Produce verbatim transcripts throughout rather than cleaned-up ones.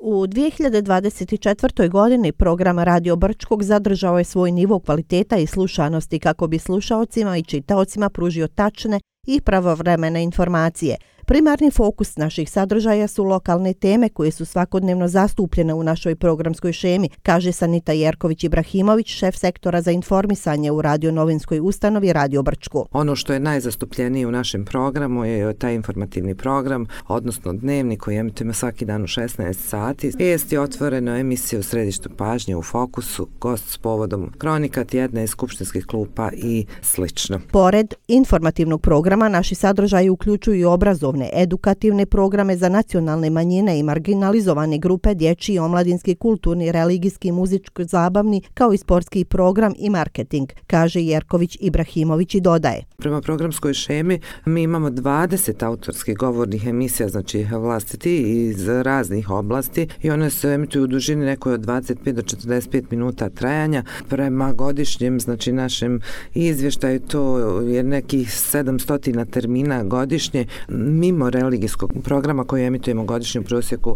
U dvije hiljade dvadeset četvrtoj. godini program Radio Brčkog zadržao je svoj nivo kvaliteta i slušanosti kako bi slušaocima i čitaocima pružio tačne i pravovremene informacije. Primarni fokus naših sadržaja su lokalne teme koje su svakodnevno zastupljene u našoj programskoj šemi, kaže Sanita Jerković-Ibrahimović, šef sektora za informisanje u radio-novinskoj ustanovi Radio Brčko. Ono što je najzastupljenije u našem programu je taj informativni program, odnosno dnevnik koji emitujemo svaki dan u šesnaest sati. Vijest je otvoreno emisija u središtu pažnje, u fokusu, gost s povodom kronika tjedna iz skupštinskih klupa i slično. Pored informativnog programa, naši sadržaji uključuju i obrazovne, edukativne programe za nacionalne manjine i marginalizovane grupe, dječji, omladinski, kulturni, religijski, muzički, zabavni, kao i sportski program i marketing, kaže Jerković-Ibrahimović i dodaje. Prema programskoj šemi mi imamo dvadeset autorskih govornih emisija, znači vlastiti iz raznih oblasti, i one se emituju u dužini nekoj od dvadeset pet do četrdeset pet minuta trajanja. Prema godišnjem, znači našem izvještaju, to je nekih sedamsto termina godišnje, mimo religijskog programa koji emitujemo godišnje u prosjeku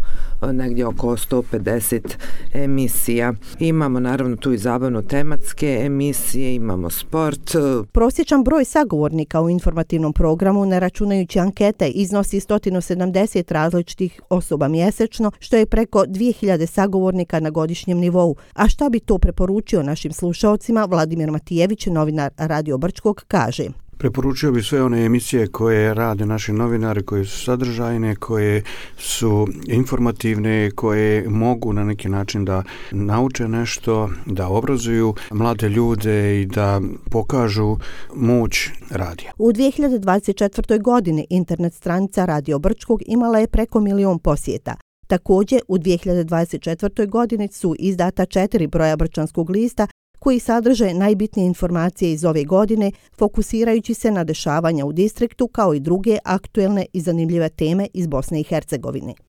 negdje oko sto pedeset emisija. Imamo naravno tu i zabavno tematske emisije, imamo sport. Prosječan broj sagovornika u informativnom programu, ne računajući ankete, iznosi sto sedamdeset različitih osoba mjesečno, što je preko dvije hiljade sagovornika na godišnjem nivou. A šta bi to preporučio našim slušaocima, Vladimir Matijević, novinar Radio Brčkog, kaže. Preporučio bi sve one emisije koje rade naši novinari, koje su sadržajne, koje su informativne, koje mogu na neki način da nauče nešto, da obrazuju mlade ljude i da pokažu moć radija. U dvije hiljade dvadeset četvrtoj. godini internet stranica Radio Brčkog imala je preko milion posjeta. Također, u dvije hiljade dvadeset četvrtoj. godini su izdata četiri broja Brčanskog lista koji sadrže najbitnije informacije iz ove godine, fokusirajući se na dešavanja u distriktu kao i druge aktuelne i zanimljive teme iz Bosne i Hercegovine.